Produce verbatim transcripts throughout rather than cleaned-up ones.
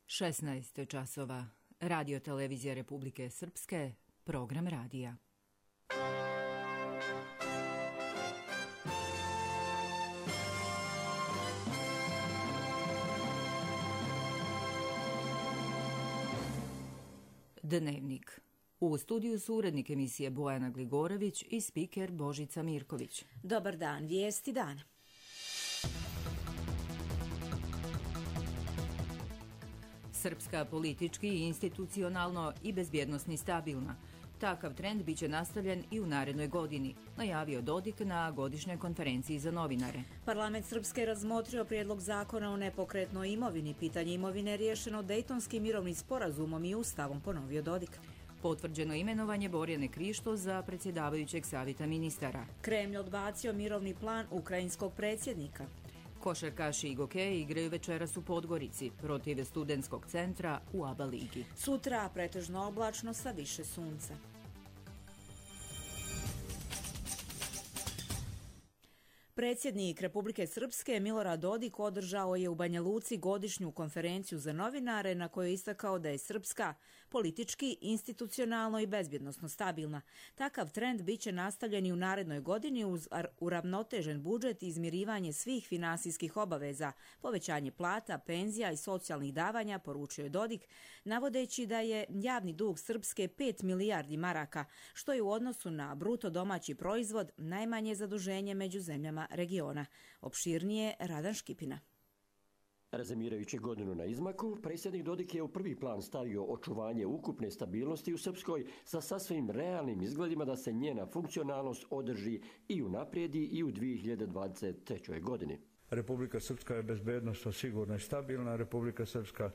šesnaest časova. Radio televizija Republike Srpske, program radija. Dnevnik. U studiju su urednik emisije Bojana Gligorović i spiker Božica Mirković. Dobar dan, vijesti dana. Srpska politički, institucionalno i bezbjednosni stabilna. Takav trend biće nastavljen i u narednoj godini, najavio Dodik na godišnjoj konferenciji za novinare. Parlament Srpske razmotrio prijedlog zakona o nepokretnoj imovini. Pitanje imovine je riješeno Dejtonskim mirovnim sporazumom i ustavom, ponovio Dodik. Potvrđeno imenovanje Borjane Krišto za predsjedavajućeg savjeta ministara. Kremlj odbacio mirovni plan ukrajinskog predsjednika. Košarkaši i gokeji igraju večeras u Podgorici protiv studentskog centra u A B A ligi. Sutra pretežno oblačno sa više sunca. Predsjednik Republike Srpske Milorad Dodik održao je u Banja Luci godišnju konferenciju za novinare na kojoj je istakao da je Srpska politički, institucionalno i bezbjednosno stabilna. Takav trend biće nastavljen i u narednoj godini uz uravnotežen budžet i izmirivanje svih finansijskih obaveza, povećanje plata, penzija i socijalnih davanja, poručio je Dodik, navodeći da je javni dug Srpske pet milijardi maraka, što je u odnosu na bruto domaći proizvod najmanje zaduženje među zemljama regiona. Opširnije Radan Škipina. Rezimirajući godinu na izmaku, predsjednik Dodik je u prvi plan stavio očuvanje ukupne stabilnosti u Srpskoj sa sasvim realnim izgledima da se njena funkcionalnost održi i unaprijedi i u dvije hiljade dvadeset trećoj. godini. Republika Srpska je bezbednosno sigurna i stabilna. Republika Srpska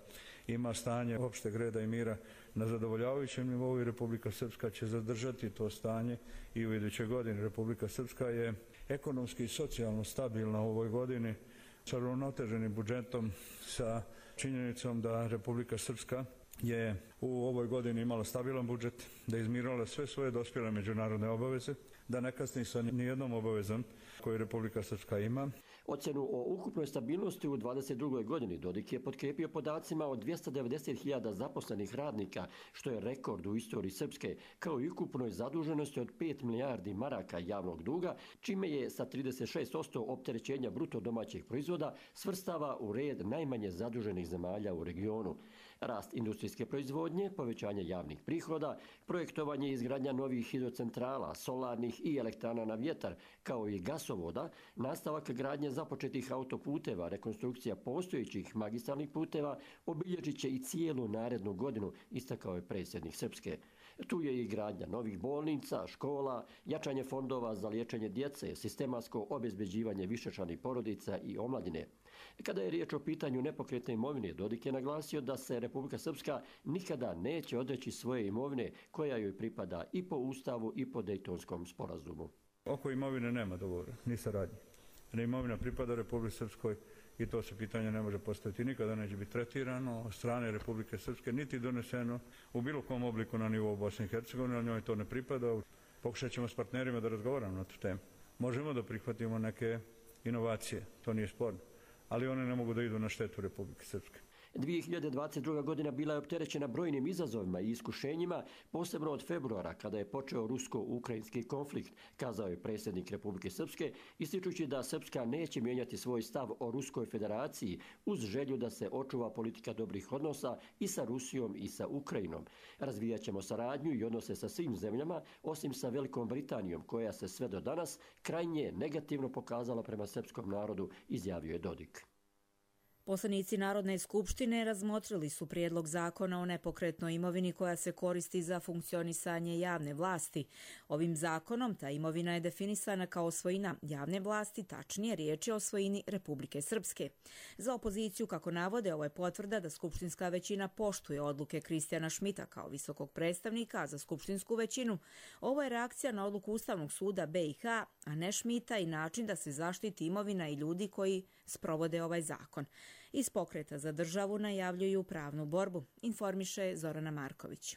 ima stanje opšteg reda i mira na zadovoljavajućem nivou i Republika Srpska će zadržati to stanje i u idućoj godini. Republika Srpska je ekonomski i socijalno stabilna u ovoj godini sa uravnoteženim budžetom, sa činjenicom da Republika Srpska je u ovoj godini imala stabilan budžet, da je izmirala sve svoje dospjele međunarodne obaveze, da ne kasni sa nijednom obavezom koju Republika Srpska ima. Ocjenu o ukupnoj stabilnosti u dvadeset drugoj. godini Dodik je potkrijepio podacima od dvjesto devedeset hiljada zaposlenih radnika, što je rekord u istoriji Srpske, kao i ukupnoj zaduženosti od pet milijardi maraka javnog duga, čime je sa trideset šest posto opterećenja bruto domaćeg proizvoda svrstava u red najmanje zaduženih zemalja u regionu. Rast industrijske proizvodnje, povećanje javnih prihoda, projektovanje i izgradnja novih hidrocentrala, solarnih i elektrana na vjetar, kao i gasovoda, nastavak gradnje započetih autoputeva, rekonstrukcija postojećih magistralnih puteva obilježit će i cijelu narednu godinu, istakao je predsjednik Srpske. Tu je i gradnja novih bolnica, škola, jačanje fondova za liječenje djece, sistematsko obezbeđivanje višečlanih porodica i omladine. Kada je riječ o pitanju nepokretne imovine, Dodik je naglasio da se Republika Srpska nikada neće odreći svoje imovine koja joj pripada i po Ustavu i po Dejtonskom sporazumu. Oko imovine nema dogovora, ni saradnje. Imovina pripada Republike Srpskoj i to se pitanje ne može postaviti, nikada neće biti tretirano od strane Republike Srpske, niti doneseno u bilo kom obliku na nivou Bosne i Hercegovine, ali njoj to ne pripada. Pokušat ćemo s partnerima da razgovaramo na tu temu. Možemo da prihvatimo neke inovacije, to nije sporno, ali one ne mogu da idu na štetu Republike Srpske. dvije hiljade dvadeset druga. godina bila je opterećena brojnim izazovima i iskušenjima, posebno od februara kada je počeo rusko-ukrajinski konflikt, kazao je predsjednik Republike Srpske, ističući da Srpska neće mijenjati svoj stav o Ruskoj federaciji uz želju da se očuva politika dobrih odnosa i sa Rusijom i sa Ukrajinom. Razvijat ćemo saradnju i odnose sa svim zemljama, osim sa Velikom Britanijom, koja se sve do danas krajnje negativno pokazala prema srpskom narodu, izjavio je Dodik. Poslanici Narodne skupštine razmotrili su prijedlog zakona o nepokretnoj imovini koja se koristi za funkcionisanje javne vlasti. Ovim zakonom ta imovina je definisana kao svojina javne vlasti, tačnije riječ je o svojini Republike Srpske. Za opoziciju, kako navode, ovo je potvrda da skupštinska većina poštuje odluke Kristijana Šmita kao visokog predstavnika, a za skupštinsku većinu ovo je reakcija na odluku Ustavnog suda B i H, a ne Šmita, i način da se zaštiti imovina i ljudi koji sprovode ovaj zakon. Iz Pokreta za državu najavljuju pravnu borbu, informiše Zorana Marković.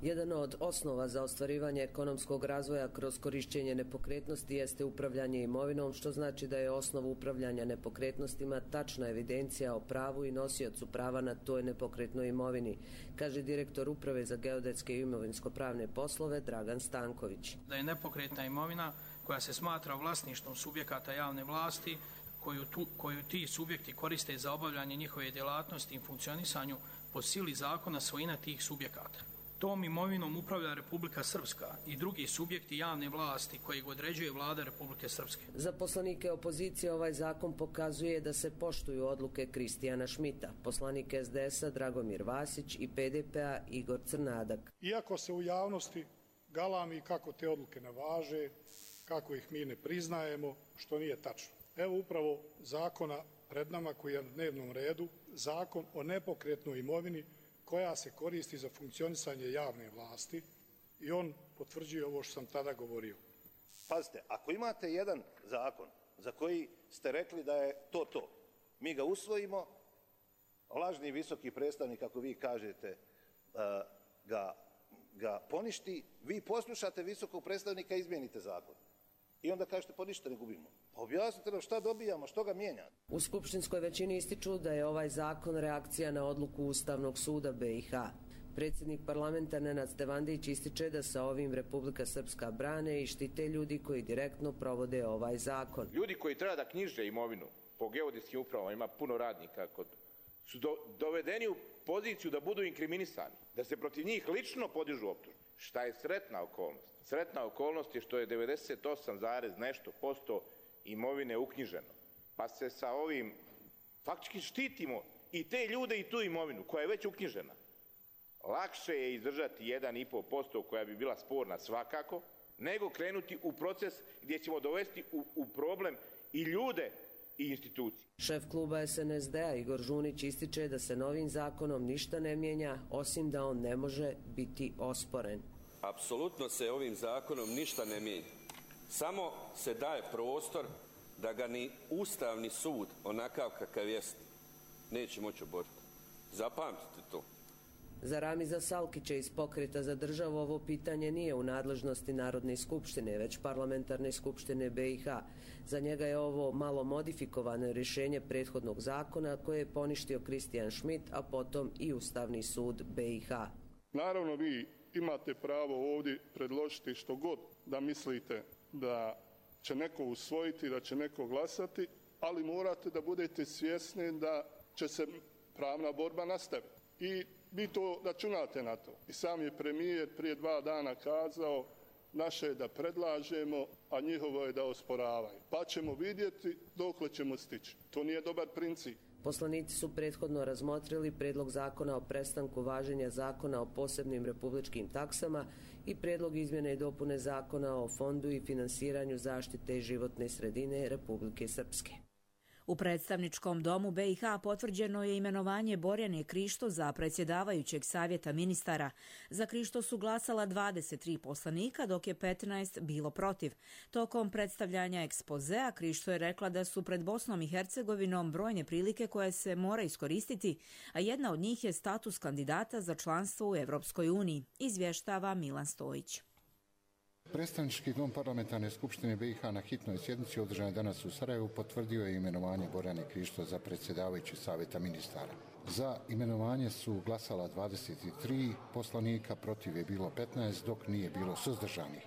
Jedan od osnova za ostvarivanje ekonomskog razvoja kroz korišćenje nepokretnosti jeste upravljanje imovinom, što znači da je osnov upravljanja nepokretnostima tačna evidencija o pravu i nosiocu prava na toj nepokretnoj imovini, kaže direktor Uprave za geodetske i imovinsko-pravne poslove Dragan Stanković. Da je nepokretna imovina koja se smatra vlasništvom subjekata javne vlasti, koju, tu, koju ti subjekti koriste za obavljanje njihove djelatnosti i funkcionisanju po sili zakona svojina tih subjekata. Tom imovinom upravlja Republika Srpska i drugi subjekti javne vlasti kojeg određuje vlada Republike Srpske. Za poslanike opozicije ovaj zakon pokazuje da se poštuju odluke Kristijana Šmita, poslanik es de es a Dragomir Vasić i pe de pe a Igor Crnadak. Iako se u javnosti galami kako te odluke ne važe, kako ih mi ne priznajemo, što nije tačno. Evo upravo zakona pred nama koji je na dnevnom redu, zakon o nepokretnoj imovini koja se koristi za funkcionisanje javne vlasti i on potvrđuje ovo što sam tada govorio. Pazite, ako imate jedan zakon za koji ste rekli da je to to, mi ga usvojimo, lažni visoki predstavnik, kako vi kažete, ga, ga poništi, vi poslušate visokog predstavnika i izmijenite zakon. I onda kažete, pa ništa ne gubimo. Pa objasnite nam šta dobijamo, što ga mijenja. U skupštinskoj većini ističu da je ovaj zakon reakcija na odluku Ustavnog suda be i ha. Predsjednik parlamenta Nenad Stevandić ističe da sa ovim Republika Srpska brane i štite ljudi koji direktno provode ovaj zakon. Ljudi koji treba da knjiže imovinu po geodetskim upravama, ima puno radnika, kod, su do, dovedeni u poziciju da budu inkriminisani, da se protiv njih lično podižu optužbe. Šta je sretna okolnost? Sretna okolnost je što je devedeset osam zarez nešto posto imovine uknjiženo. Pa se sa ovim faktički štitimo i te ljude i tu imovinu koja je već uknjižena. Lakše je izdržati jedan i po posto koja bi bila sporna svakako, nego krenuti u proces gdje ćemo dovesti u, u problem i ljude i institucije. Šef kluba es en es de a Igor Žunić ističe da se novim zakonom ništa ne mijenja, osim da on ne može biti osporen. Apsolutno se ovim zakonom ništa ne mijenja. Samo se daje prostor da ga ni Ustavni sud, onakav kakav jest, neće moći oboriti. Zapamtite to. Za Ramiza Salkića iz Pokreta za državu ovo pitanje nije u nadležnosti Narodne skupštine, već Parlamentarne skupštine be i ha. Za njega je ovo malo modifikovano rješenje prethodnog zakona koje je poništio Kristijan Šmit, a potom i Ustavni sud be i ha. Naravno vi imate pravo ovdje predložiti što god da mislite da će neko usvojiti, da će neko glasati, ali morate da budete svjesni da će se pravna borba nastaviti. I vi to računate na to. I sam je premijer prije dva dana kazao, naše je da predlažemo, a njihovo je da osporavaju. Pa ćemo vidjeti dokle ćemo stići. To nije dobar princip. Poslanici su prethodno razmotrili predlog zakona o prestanku važenja zakona o posebnim republičkim taksama i predlog izmjene i dopune zakona o fondu i finansiranju zaštite životne sredine Republike Srpske. U predstavničkom domu be i ha potvrđeno je imenovanje Borjane Krišto za predsjedavajućeg savjeta ministara. Za Krišto su glasala dvadeset tri poslanika, dok je petnaest bilo protiv. Tokom predstavljanja ekspozea Krišto je rekla da su pred Bosnom i Hercegovinom brojne prilike koje se mora iskoristiti, a jedna od njih je status kandidata za članstvo u Evropskoj uniji, izvještava Milan Stojić. Predstavnički dom Parlamentarne skupštine be i ha na hitnoj sjednici održanoj danas u Sarajevu potvrdio je imenovanje Borjane Krišto za predsjedavajući savjeta ministara. Za imenovanje su glasala dvadeset tri poslanika, protiv je bilo petnaest, dok nije bilo suzdržanih.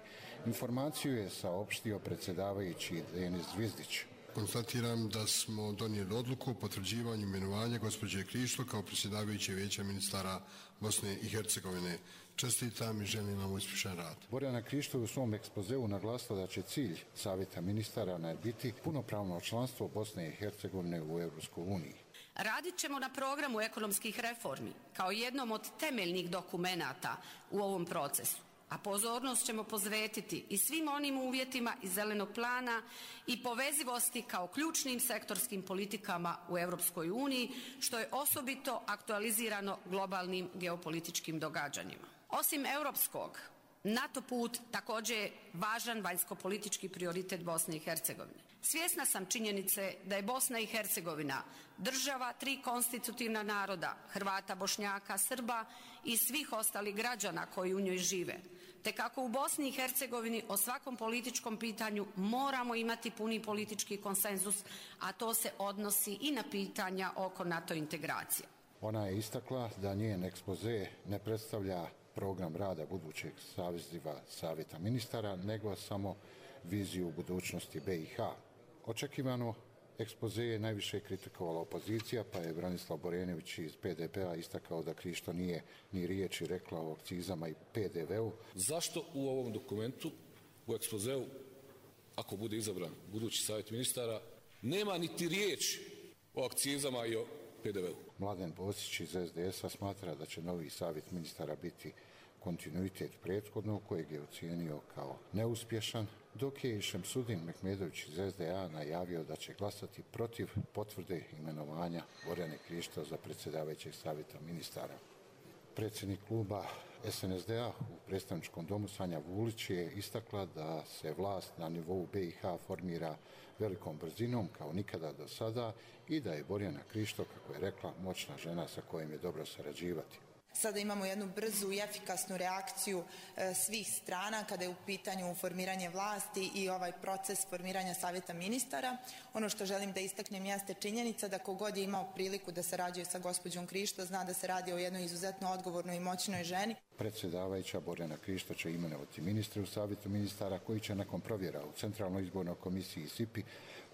Informaciju je saopštio predsjedavajući Denis Zvizdić. Konstatiram da smo donijeli odluku o potvrđivanju imenovanja gospođe Krišto kao predsjedavajuće vijeća ministara Bosne i Hercegovine. Čestitam i želim vam uspješan rad. Borjana Krišto je u svom ekspozeu naglasila da će cilj savjeta ministara biti punopravno članstvo Bosne i Hercegovine u Evropskoj uniji. Radit ćemo na programu ekonomskih reformi kao jednom od temeljnih dokumenata u ovom procesu, a pozornost ćemo posvetiti i svim onim uvjetima iz zelenog plana i povezivosti kao ključnim sektorskim politikama u Evropskoj uniji, što je osobito aktualizirano globalnim geopolitičkim događanjima. Osim europskog, NATO put također je važan vanjsko-politički prioritet Bosne i Hercegovine. Svjesna sam činjenice da je Bosna i Hercegovina država tri konstitutivna naroda, Hrvata, Bošnjaka, Srba i svih ostalih građana koji u njoj žive. Te kako u Bosni i Hercegovini o svakom političkom pitanju moramo imati puni politički konsenzus, a to se odnosi i na pitanja oko NATO integracije. Ona je istakla da njen ekspoze ne predstavlja program rada budućeg saziva Savjeta ministara, nego samo viziju budućnosti B i H. Očekivano ekspoze je najviše kritikovala opozicija, pa je Branislav Borenović iz P D P-a istakao da Krišto nije ni riječi rekla o akcizama i P D V-u. Zašto u ovom dokumentu, u ekspozeu, ako bude izabran budući savjet ministara, nema niti riječi o akcizama i o P D V-u? Mladen Bosić iz S D S-a smatra da će novi savjet ministara biti kontinuitet prethodnog, kojeg je ocijenio kao neuspješan, dok je Šemsudin Mehmedović iz S D A najavio da će glasati protiv potvrde imenovanja Borjane Krišto za predsjedavajućeg savjeta ministara. Predsjednik kluba S N S D-a u predstavničkom domu Sanja Vulić je istakla da se vlast na nivou B i H formira velikom brzinom kao nikada do sada i da je Borjana Krišto, kako je rekla, moćna žena sa kojom je dobro sarađivati. Sada imamo jednu brzu i efikasnu reakciju e, svih strana kada je u pitanju formiranje vlasti i ovaj proces formiranja savjeta ministara. Ono što želim da istaknem jeste činjenica da kogod je imao priliku da sarađuje sa gospođom Krišto zna da se radi o jednoj izuzetno odgovornoj i moćnoj ženi. Predsjedavajuća Borjana Krišto će imenovati ministre u savjetu ministara koji će nakon provjera u Centralnoj izbornoj komisiji S I P I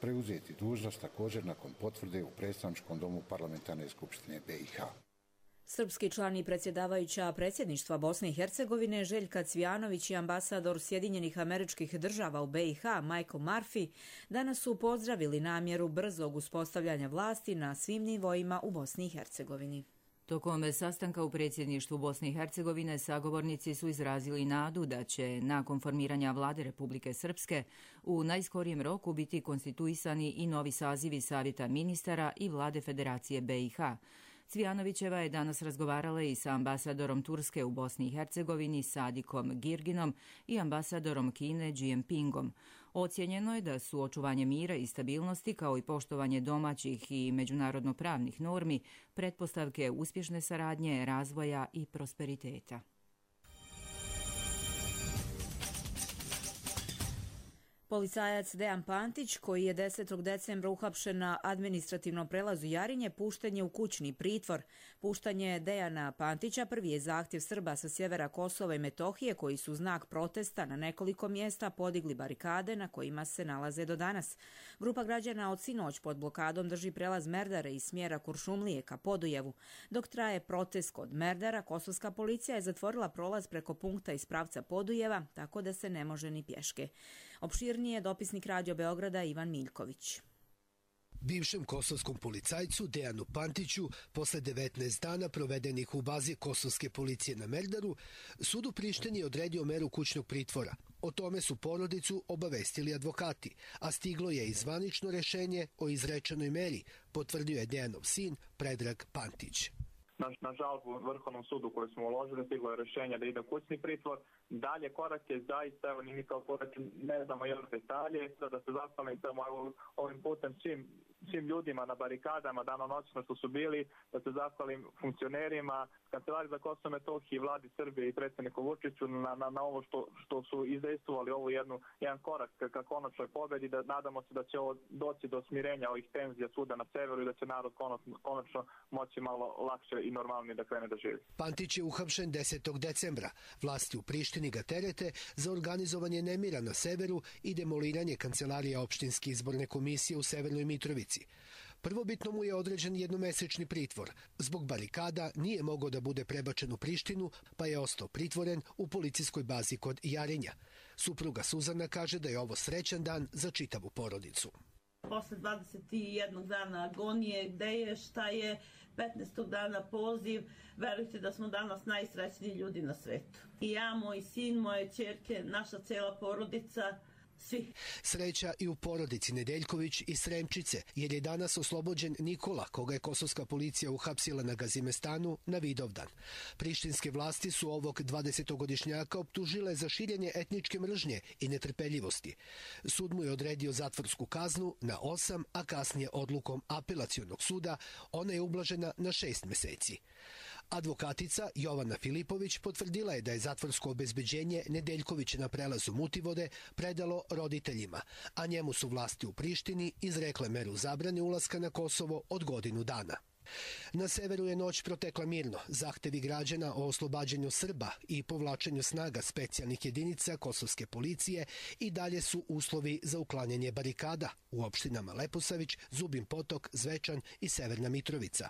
preuzeti dužnost također nakon potvrde u predstavničkom domu Parlamentarne skupštine B i H. Srpski član i predsjedavajuća predsjedništva Bosne i Hercegovine Željka Cvijanović i ambasador Sjedinjenih Američkih Država u B i H Michael Murphy danas su pozdravili namjeru brzog uspostavljanja vlasti na svim nivoima u Bosni i Hercegovini. Tokom sastanka u predsjedništvu Bosne i Hercegovine sagovornici su izrazili nadu da će nakon formiranja vlade Republike Srpske u najskorijem roku biti konstituisani i novi sazivi Savjeta ministara i vlade Federacije B i H. Cvijanovićeva je danas razgovarala i sa ambasadorom Turske u Bosni i Hercegovini Sadikom Girginom i ambasadorom Kine Jinpingom. Ocijenjeno je da su očuvanje mira i stabilnosti kao i poštovanje domaćih i međunarodno pravnih normi pretpostavke uspješne saradnje, razvoja i prosperiteta. Policajac Dejan Pantić, koji je desetog decembra uhapšen na administrativnom prelazu Jarinje, pušten je u kućni pritvor. Puštanje Dejana Pantića prvi je zahtjev Srba sa sjevera Kosova i Metohije, koji su znak protesta na nekoliko mjesta podigli barikade na kojima se nalaze do danas. Grupa građana od sinoć pod blokadom drži prelaz Merdare iz smjera Kuršumlije ka Podujevu. Dok traje protest kod Merdara, kosovska policija je zatvorila prolaz preko punkta iz pravca Podujeva, tako da se ne može ni pješke. Opširnije dopisnik Radio Beograda Ivan Miljković. Bivšem kosovskom policajcu Dejanu Pantiću, posle devetnaest dana provedenih u bazi kosovske policije na Merdaru, sud u Prištini je odredio meru kućnog pritvora. O tome su porodicu obavestili advokati, a stiglo je i zvanično rešenje o izrečenoj meri, potvrdio je Dejanov sin Predrag Pantić. Na, na žalbu Vrhovnom sudu koju smo uložili stiglo je rješenje da ide kućni pritvor. Dalje korak je zaista, evo ni kao korak ne znamo još detalje, da se zahvalim ovim putem svim, svim ljudima na barikadama danonoćno što su bili, da se zahvalim funkcionerima, Kancelariji za Kosovo i Metohiju, vladi Srbije i predsjedniku Vučiću na, na, na ovo što, što su izdejstvovali ovu jednu, jedan korak ka konačnoj pobedi, da nadamo se da će ovo doći do smirenja ovih tenzija svuda na severu i da će narod konačno, konačno moći malo lakše i normalnije da krene da živi. Pantić je uhapšen desetog decembra. Vlasti u Prištini ga terete za organizovanje nemira na severu i demoliranje kancelarija opštinske izborne komisije u Severnoj Mitrovici. Prvobitno mu je određen jednomesečni pritvor. Zbog barikada nije mogao da bude prebačen u Prištinu, pa je ostao pritvoren u policijskoj bazi kod Jarinja. Supruga Suzana kaže da je ovo srećan dan za čitavu porodicu. Posle dvadeset jednog dana agonije, gde je, šta je, petnaestog dana poziv, verujte da smo danas najsrećniji ljudi na svetu. I ja, moj sin, moje ćerke, naša cela porodica, svi. Sreća i u porodici Nedeljković i Sremčice, jer je danas oslobođen Nikola, koga je kosovska policija uhapsila na Gazimestanu na Vidovdan. Prištinske vlasti su ovog dvadesetogodišnjaka optužile za širenje etničke mržnje i netrpeljivosti. Sud mu je odredio zatvorsku kaznu na osam, a kasnije odlukom apelacionog suda ona je ublažena na šest meseci. Advokatica Jovana Filipović potvrdila je da je zatvorsko obezbeđenje Nedeljkovića na prelazu Mutivode predalo roditeljima, a njemu su vlasti u Prištini izrekle meru zabrane ulaska na Kosovo od godinu dana. Na severu je noć protekla mirno. Zahtevi građana o oslobađanju Srba i povlačenju snaga specijalnih jedinica kosovske policije i dalje su uslovi za uklanjanje barikada u opštinama Leposavić, Zubin Potok, Zvečan i Severna Mitrovica.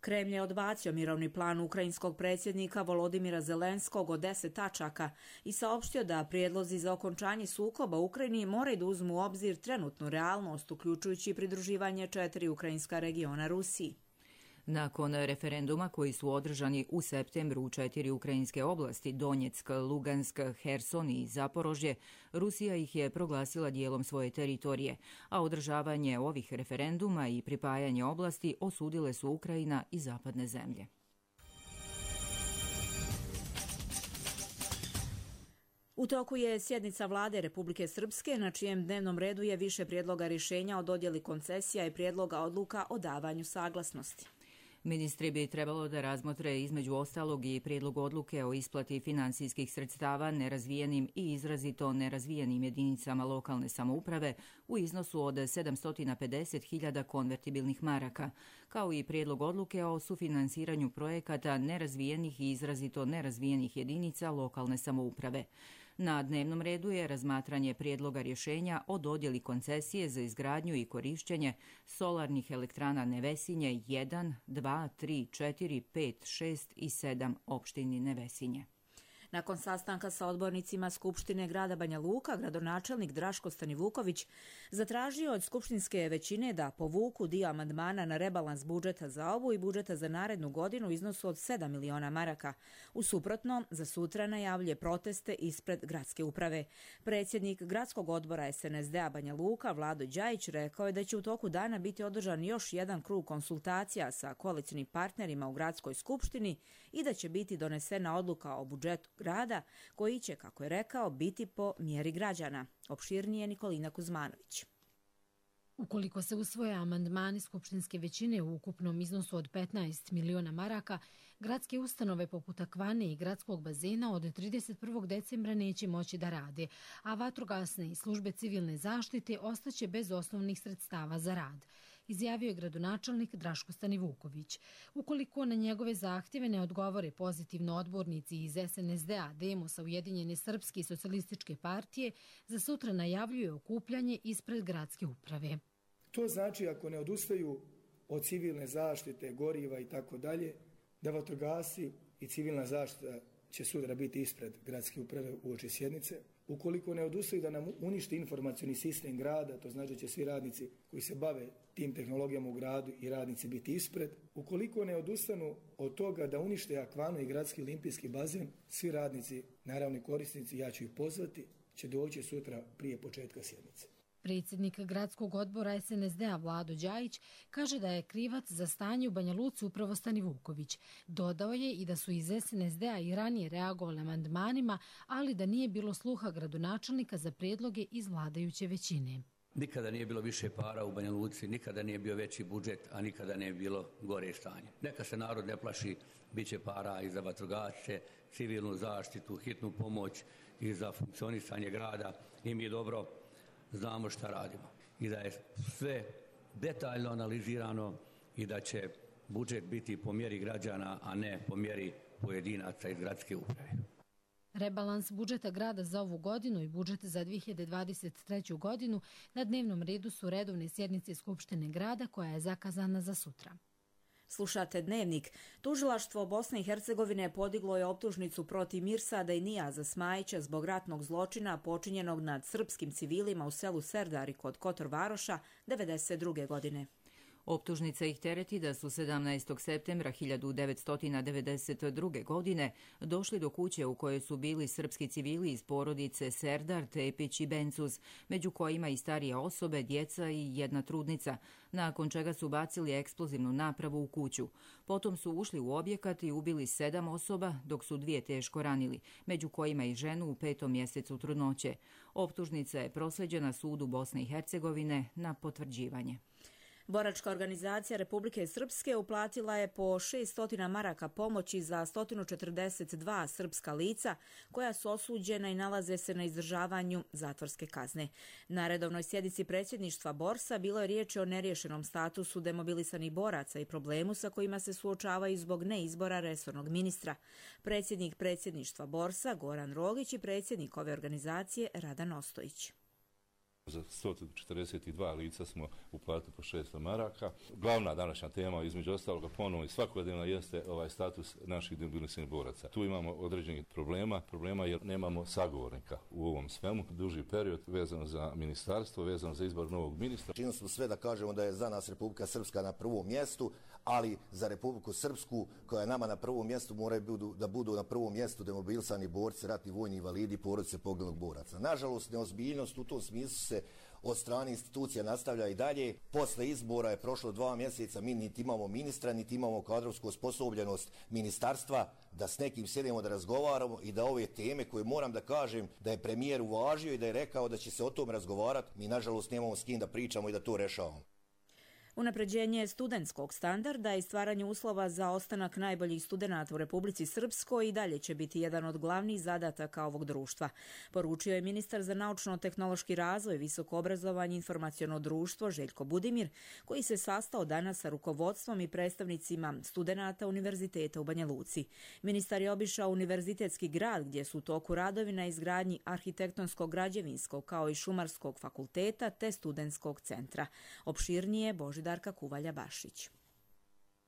Kremlj je odbacio mirovni plan ukrajinskog predsjednika Volodimira Zelenskog od deset tačaka i saopštio da prijedlozi za okončanje sukoba u Ukrajini moraju da uzmu u obzir trenutnu realnost, uključujući pridruživanje četiri ukrajinska regiona Rusiji. Nakon referenduma koji su održani u septembru u četiri ukrajinske oblasti, Donjeck, Lugansk, Herson i Zaporožje, Rusija ih je proglasila dijelom svoje teritorije, a održavanje ovih referenduma i pripajanje oblasti osudile su Ukrajina i zapadne zemlje. U toku je sjednica vlade Republike Srpske, na čijem dnevnom redu je više prijedloga rješenja o dodjeli koncesija i prijedloga odluka o davanju saglasnosti. Ministri bi trebalo da razmotre između ostalog i prijedlog odluke o isplati finansijskih sredstava nerazvijenim i izrazito nerazvijenim jedinicama lokalne samouprave u iznosu od sedamsto pedeset hiljada konvertibilnih maraka, kao i prijedlog odluke o sufinansiranju projekata nerazvijenih i izrazito nerazvijenih jedinica lokalne samouprave. Na dnevnom redu je razmatranje prijedloga rješenja o dodjeli koncesije za izgradnju i korišćenje solarnih elektrana Nevesinje jedan, dva, tri, četiri, pet, šest i sedam opštini Nevesinje. Nakon sastanka sa odbornicima Skupštine grada Banja Luka, gradonačelnik Draško Stanivuković zatražio od skupštinske većine da povuku dio amandmana na rebalans budžeta za ovu i budžeta za narednu godinu u iznosu od sedam miliona maraka. U suprotnom, za sutra najavljuje proteste ispred gradske uprave. Predsjednik gradskog odbora S N S D-a Banja Luka, Vlado Đajić, rekao je da će u toku dana biti održan još jedan krug konsultacija sa koalicionim partnerima u gradskoj skupštini i da će biti donesena odluka o budžetu grada, koji će, kako je rekao, biti po mjeri građana. Opširnije Nikolina Kuzmanović. Ukoliko se usvoje amandmani skupštinske većine u ukupnom iznosu od petnaest miliona maraka, gradske ustanove poput Akvane i gradskog bazena od trideset prvog decembra neće moći da rade, a vatrogasne i službe civilne zaštite ostaće bez osnovnih sredstava za rad, izjavio je gradonačelnik Draško Stanivuković. Ukoliko na njegove zahtjeve ne odgovore pozitivno odbornici iz S N S D-a, Demosa, Ujedinjene srpske i socijalističke partije, za sutra najavljuje okupljanje ispred gradske uprave. To znači ako ne odustaju od civilne zaštite, goriva i tako dalje, da vatrogasci i civilna zaštita će sutra biti ispred gradske uprave uoči sjednice. Ukoliko ne odustaju da nam uništi informacioni sistem grada, to znači da će svi radnici koji se bave tim tehnologijama u gradu i radnici biti ispred. Ukoliko ne odustanu od toga da unište Akvanu i gradski olimpijski bazen, svi radnici, naravno korisnici, ja ću ih pozvati, će doći sutra prije početka sjednice. Predsjednik gradskog odbora S N S D-a Vlado Đajić kaže da je krivac za stanje u Banja Luci upravo Stanivuković. Dodao je i da su iz S N S D-a i ranije reagovali amandmanima, ali da nije bilo sluha gradonačelnika za prijedloge iz vladajuće većine. Nikada nije bilo više para u Banja Luci, nikada nije bio veći budžet, a nikada nije bilo gore stanje. Neka se narod ne plaši, bit će para i za vatrogasce, civilnu zaštitu, hitnu pomoć i za funkcionisanje grada. I mi dobro znamo šta radimo i da je sve detaljno analizirano i da će budžet biti po mjeri građana, a ne po mjeri pojedinaca iz gradske uprave. Rebalans budžeta grada za ovu godinu i budžet za dvije hiljade dvadeset treću. godinu na dnevnom redu su redovne sjednice Skupštine grada koja je zakazana za sutra. Slušate Dnevnik. Tužilaštvo Bosne i Hercegovine podiglo je optužnicu protiv Mirsada i Nijaza Smajića zbog ratnog zločina počinjenog nad srpskim civilima u selu Serdari kod Kotor Varoša devedeset druge. godine. Optužnica ih tereti da su sedamnaestog septembra hiljadu devetsto devedeset druge. godine došli do kuće u kojoj su bili srpski civili iz porodice Serdar, Tepić i Bencuz, među kojima i starije osobe, djeca i jedna trudnica, nakon čega su bacili eksplozivnu napravu u kuću. Potom su ušli u objekat i ubili sedam osoba, dok su dvije teško ranili, među kojima i ženu u petom mjesecu trudnoće. Optužnica je proslijeđena sudu Bosne i Hercegovine na potvrđivanje. Boračka organizacija Republike Srpske uplatila je po šesto maraka pomoći za sto četrdeset dva srpska lica koja su osuđena i nalaze se na izdržavanju zatvorske kazne. Na redovnoj sjednici predsjedništva Borsa bilo je riječ o neriješenom statusu demobilisanih boraca i problemu sa kojima se suočavaju zbog neizbora resornog ministra. Predsjednik predsjedništva Borsa Goran Rogić i predsjednik ove organizacije Radan Ostojić. Za sto četrdeset dva lica smo uplatili po šesto maraka. Glavna današnja tema, između ostaloga, ponovno i svakodnevna, jeste ovaj status naših demobiliziranih boraca. Tu imamo određenih problema, problema jer nemamo sagovornika u ovom svemu. Duži period vezano za ministarstvo, vezano za izbor novog ministra. Činili smo sve da kažemo da je za nas Republika Srpska na prvom mjestu, ali za Republiku Srpsku, koja je nama na prvom mjestu, moraju budu, da budu na prvom mjestu demobilisani borci, ratni vojni invalidi, porodice poginulih boraca. Nažalost, neozbiljnost u tom smislu se od strane institucija nastavlja i dalje. Posle izbora je prošlo dva mjeseca, mi niti imamo ministra, niti imamo kadrovsku osposobljenost ministarstva da s nekim sjedemo da razgovaramo i da ove teme koje moram da kažem da je premijer uvažio i da je rekao da će se o tom razgovarati, mi nažalost nemamo s kim da pričamo i da to rešavamo. Unapređenje studentskog standarda i stvaranje uslova za ostanak najboljih studenata u Republici Srpskoj i dalje će biti jedan od glavnih zadataka ovog društva, poručio je ministar za naučno-tehnološki razvoj, visoko obrazovanje i informaciono društvo Željko Budimir, koji se sastao danas sa rukovodstvom i predstavnicima studenata Univerziteta u Banja Luci. Ministar je obišao univerzitetski grad gdje su u toku radovi na izgradnji arhitektonskog, građevinskog kao i šumarskog fakulteta te studentskog centra. Opširnije Božidar Darka Kuvalja-Bašić.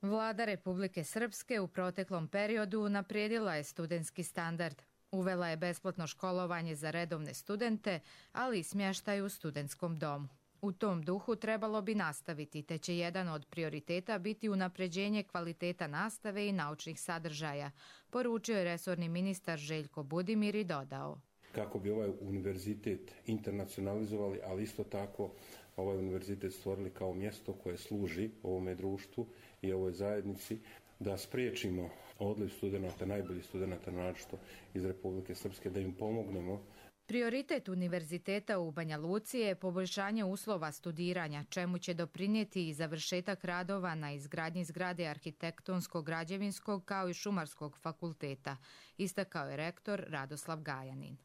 Vlada Republike Srpske u proteklom periodu unaprijedila je studentski standard. Uvela je besplatno školovanje za redovne studente, ali i smještaj u studentskom domu. U tom duhu trebalo bi nastaviti, te će jedan od prioriteta biti unapređenje kvaliteta nastave i naučnih sadržaja, poručio je resorni ministar Željko Budimir i dodao. Kako bi ovaj univerzitet internacionalizovali, ali isto tako ovaj univerzitet stvorili kao mjesto koje služi ovome društvu i ovoj zajednici, da spriječimo odliv studenata, najboljih studenata naročito iz Republike Srpske, da im pomognemo. Prioritet univerziteta u Banja Luci je poboljšanje uslova studiranja, čemu će doprinijeti i završetak radova na izgradnji zgrade arhitektonskog, građevinskog kao i šumarskog fakulteta, istakao je rektor Radoslav Gajanin.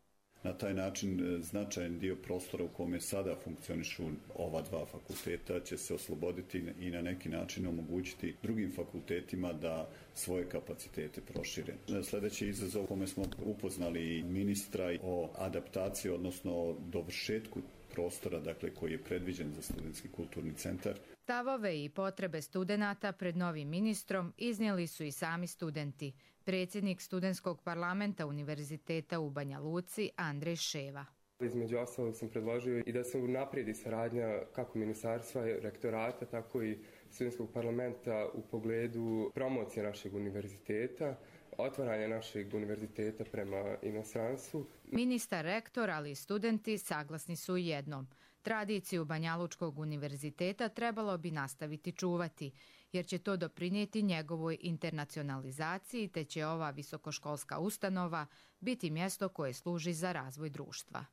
Na taj način značajan dio prostora u kome sada funkcionišu ova dva fakulteta će se osloboditi i na neki način omogućiti drugim fakultetima da svoje kapacitete prošire. Sljedeći izazov u kome smo upoznali ministra o adaptaciji, odnosno dovršetku prostora, dakle, koji je predviđen za studentski kulturni centar. Stavove i potrebe studenata pred novim ministrom iznijeli su i sami studenti. Predsjednik studentskog parlamenta Univerziteta u Banja Luci Andrej Ševa. Između ostalog sam predložio i da se unaprijedi saradnja kako ministarstva, rektorata, tako i studentskog parlamenta u pogledu promocije našeg univerziteta, otvaranja našeg univerziteta prema inostranstvu. Ministar, rektor, ali i studenti saglasni su i jednom. Tradiciju Banjalučkog univerziteta trebalo bi nastaviti čuvati, jer će to doprinijeti njegovoj internacionalizaciji, te će ova visokoškolska ustanova biti mjesto koje služi za razvoj društva.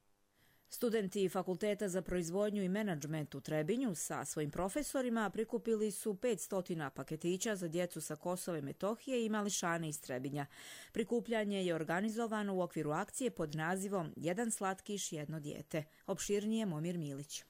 Studenti Fakulteta za proizvodnju i menadžment u Trebinju sa svojim profesorima prikupili su petsto paketića za djecu sa Kosova i Metohije i mališane iz Trebinja. Prikupljanje je organizovano u okviru akcije pod nazivom Jedan slatkiš, jedno dijete. Opširnije Momir Milić.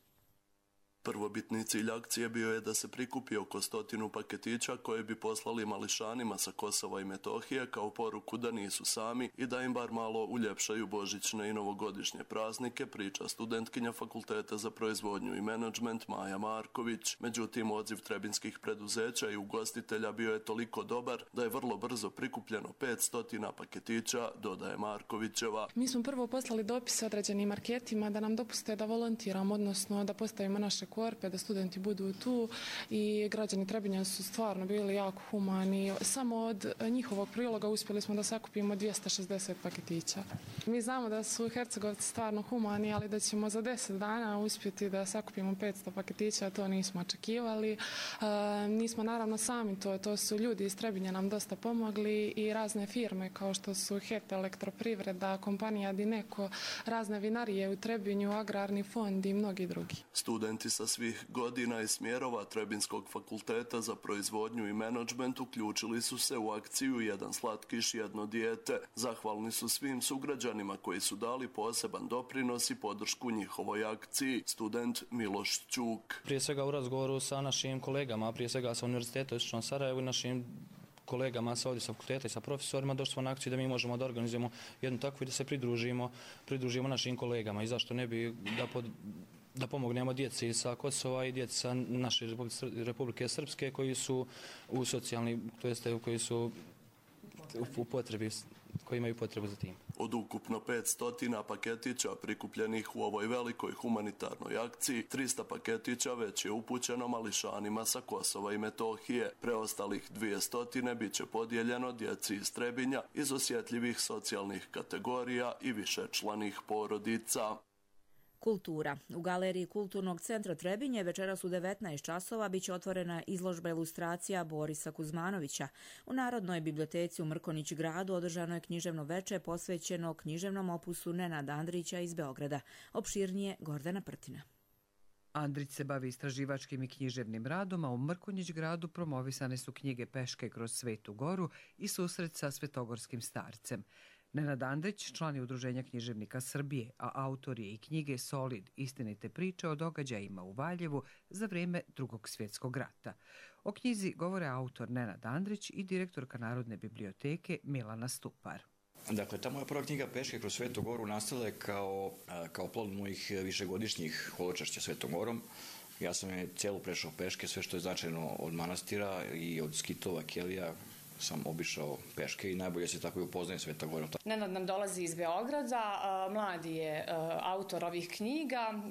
Prvobitni cilj akcije bio je da se prikupi oko stotinu paketića koje bi poslali mališanima sa Kosova i Metohije kao poruku da nisu sami i da im bar malo uljepšaju božićne i novogodišnje praznike, priča studentkinja Fakulteta za proizvodnju i menadžment Maja Marković. Međutim, odziv trebinskih preduzeća i ugostitelja bio je toliko dobar da je vrlo brzo prikupljeno petsto paketića, dodaje Markovićeva. Mi smo prvo poslali dopise određenim marketima da nam dopuste da volontiramo, odnosno da postavimo naše korpe, da studenti budu tu i građani Trebinja su stvarno bili jako humani. Samo od njihovog priloga uspjeli smo da sakupimo dvjesto šezdeset paketića. Mi znamo da su Hercegovci stvarno humani, ali da ćemo za deset dana uspjeti da sakupimo petsto paketića, to nismo očekivali. E, nismo naravno sami to, to su ljudi iz Trebinja nam dosta pomogli i razne firme kao što su H E P, Elektroprivreda, kompanija Dineko, razne vinarije u Trebinju, Agrarni fond i mnogi drugi. Studenti sa svih godina i smjerova Trebinskog fakulteta za proizvodnju i menadžment uključili su se u akciju Jedan slatkiš, jedno dijete. Zahvalni su svim sugrađanima koji su dali poseban doprinos i podršku njihovoj akciji. Student Miloš Ćuk. Prije svega u razgovoru sa našim kolegama, prije svega sa Univerziteta u Istočnom Sarajevu i našim kolegama sa ovdje sa fakulteta i sa profesorima došli smo na akciju da mi možemo da organizujemo jednu takvu i da se pridružimo, pridružimo našim kolegama i zašto ne bi da pod da pomognemo djeci sa Kosova i djeci sa naše Republike Srpske koji su u socijalni, to jeste koji su u potrebi, koji imaju potrebu za tim. Od ukupno petsto paketića prikupljenih u ovoj velikoj humanitarnoj akciji, trista paketića već je upućeno mališanima sa Kosova i Metohije. Preostalih dvjesto bit će podijeljeno djeci iz Trebinja iz osjetljivih socijalnih kategorija i višečlanih porodica. Kultura. U galeriji Kulturnog centra Trebinje večeras u devetnaest časova biće otvorena izložba ilustracija Borisa Kuzmanovića. U Narodnoj biblioteci u Mrkonjić gradu održano je književno veče posvećeno književnom opusu Nenada Andrića iz Beograda. Opširnije Gordana Prtina. Andrić se bavi istraživačkim i književnim radom, a u Mrkonjić gradu promovisane su knjige Peške kroz Svetu Goru i susret sa svetogorskim starcem. Nenad Andrić, član je Udruženja književnika Srbije, a autor je i knjige Solid, istinite priče o događajima u Valjevu za vrijeme Drugog svjetskog rata. O knjizi govore autor Nenad Andrić i direktorka Narodne biblioteke Milana Stupar. Dakle, ta moja prva knjiga Peške kroz Svetu Goru nastala je kao, kao plod mojih višegodišnjih holočašća Svetom Gorom. Ja sam je cijelu prešao peške, sve što je značajno od manastira i od skitova, kelija, sam obišao peške i najbolje se tako i upoznaje Sveta Gora. Nenad nam dolazi iz Beograda, mladi je autor ovih knjiga.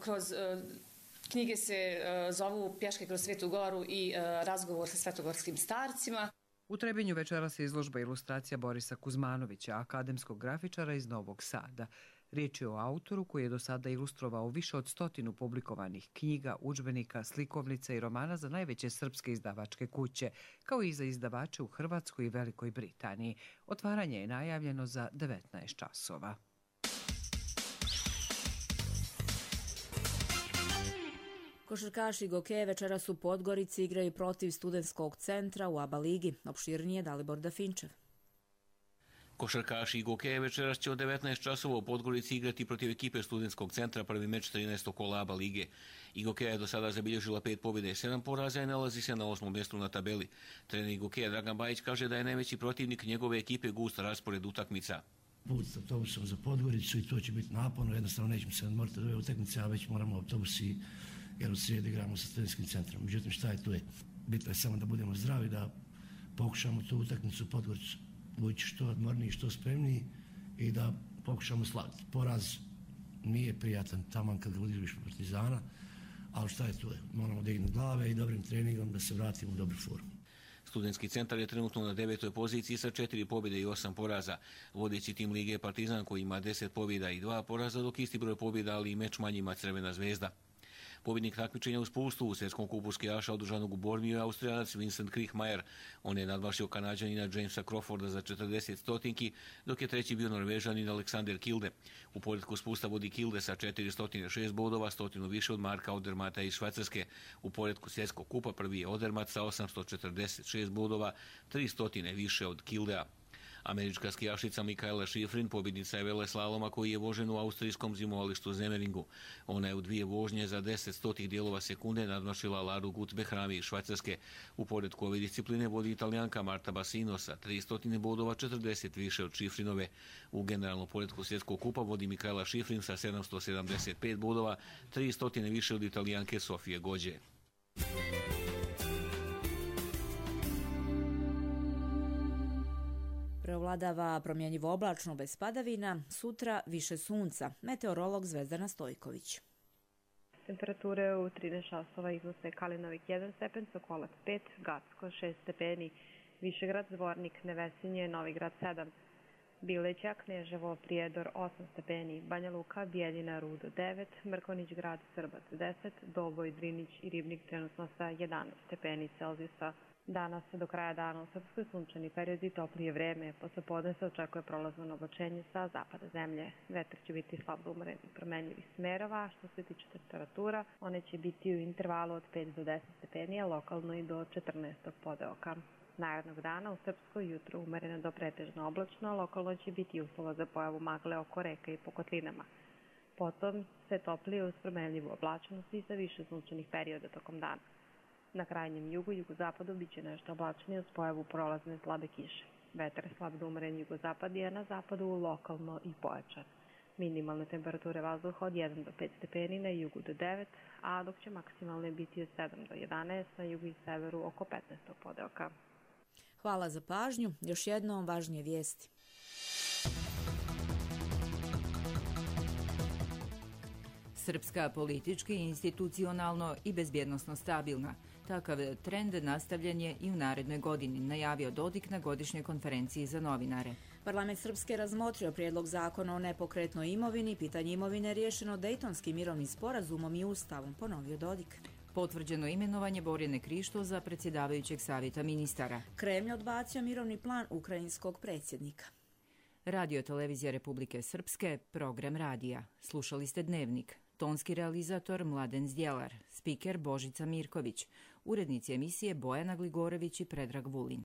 Kroz knjige se zovu Pješke kroz Svetu Goru i razgovor sa svetogorskim starcima. U Trebinju večera se izložba ilustracija Borisa Kuzmanovića, akademskog grafičara iz Novog Sada. Riječ je o autoru koji je do sada ilustrovao više od stotinu publikovanih knjiga, udžbenika, slikovnica i romana za najveće srpske izdavačke kuće, kao i za izdavače u Hrvatskoj i Velikoj Britaniji. Otvaranje je najavljeno za devetnaest časova. Košarkaši Gokeje večeras u Podgorici igraju protiv Studentskog centra u ABA ligi. Opširnije Dalibor Dafinčev. Košarkaši Gokeje večeras će od devetnaest časova u Podgorici igrati protiv ekipe Studentskog centra, prvi meč trinaestog kola ABA lige. Gokeja je do sada zabilježila pet pobjeda i sedam poraza i nalazi se na osmom mjestu na tabeli. Trener Gokeja Dragan Bajić kaže da je najveći protivnik njegove ekipe gust raspored utakmica. Put s autobusom za Podgoricu i to će biti naporno, jednostavno nećemo se odmoriti od ove utakmice, a već moramo autobusi jer u srijedu igramo sa Studentskim centrom. Međutim, šta je tu je? Bitno je samo da budemo zdravi, da pokušamo tu utakmicu u Podgoricu ući što odmorniji, što spremniji i da pokušamo slaviti. Poraz nije prijatan taman kad ga odigraš Partizana, ali šta je tu je? Moramo dignuti glave i dobrim treningom da se vratimo u dobru formu. Studentski centar je trenutno na devetoj poziciji sa četiri pobjede i osam poraza. Vodeći tim lige je Partizan koji ima deset pobjeda i dva poraza, dok isti broj pobjeda, ali i meč manji ima Crvena zvezda. Pobjednik takmičenja u spustu u svjetskom kupu skijaša održanog u Bormiju je Austrijanac Vincent Kriechmayer. On je nadmašio Kanađanina Jamesa Crawforda za četrdeset stotinki, dok je treći bio Norvežanin Alexander Kilde. U poredku spusta vodi Kilde sa četiristo šest bodova, stotinu više od Marka Odermata iz Švajcarske. U poredku svjetskog kupa prvi je Odermat sa osamsto četrdeset šest bodova, tristo više od Kildea. Američka skijašica Mikaela Schifrin pobjednica je veleslaloma koji je vožen u austrijskom zimovalištu Zemeringu. Ona je u dvije vožnje za deset stotih dijelova sekunde nadmašila Laru Gut-Behrami iz Švajcarske. U poredku ove discipline vodi Italijanka Marta Bassino sa tristo bodova, četrdeset više od Schifrinove. U generalnom poredku svjetskog kupa vodi Mikaela Schifrin sa sedamsto sedamdeset pet bodova, tristo više od Italijanke Sofije Gođe. Preovladava promjenjivo oblačno bez padavina, sutra više sunca. Meteorolog Zvezdana Stojković. Temperature u trinaest časova iznose Kalinovik jedan stepen, Sokolac pet, Gacko šest stepeni, Višegrad, Zvornik, Nevesinje, Novigrad sedam, Bileća, Kneževo, Prijedor osam stepeni, Banja Luka, Bijeljina, Rudo devet, Mrkonjić Grad, Srbac deset, Doboj, Drinić i Ribnik trenutno sa jedanaest stepeni Celzijusa. Danas do kraja dana u Srpskoj sunčani period i toplije vreme. Posle podne se očekuje prolazno oblačenje sa zapada zemlje. Vetar će biti slab do umeren i promenljivih smerova. Što se tiče temperatura, one će biti u intervalu od pet do deset stepeni, a lokalno i do četrnaest podeoka. Narednog dana u Srpskoj jutro umereno do pretežno oblačno, lokalno će biti uslova za pojavu magle oko reka i po kotlinama. Potom se toplije uz promenljivu oblačnost i sa više sunčanih perioda tokom dana. Na krajnjem jugu i jugozapadu biće nešto oblačnije uz pojavu prolazne slabe kiše. Vetar slab do umeren jugozapad je na zapadu lokalno i pojačan. Minimalne temperature vazduha od jedan do pet stepeni, na jugu do devet, a dok će maksimalne biti od sedam do jedanaest, na jugu i severu oko petnaest podeoka. Hvala za pažnju. Još jednom važnije vijesti. Srpska politički, institucionalno i bezbjednosno stabilna. Takav trend nastavljen je i u narednoj godini, najavio Dodik na godišnjoj konferenciji za novinare. Parlament Srpske razmotrio prijedlog zakona o nepokretnoj imovini, pitanje imovine riješeno Dejtonskim mirovnim sporazumom i ustavom, ponovio Dodik. Potvrđeno imenovanje Borjane Krišto za predsjedavajućeg savjeta ministara. Kremlj odbacio mirovni plan ukrajinskog predsjednika. Radio Televizija Republike Srpske, program radija. Slušali ste Dnevnik. Tonski realizator Mladen Zdjelar, spiker Božica Mirković, urednici emisije Bojana Gligorević i Predrag Vulin.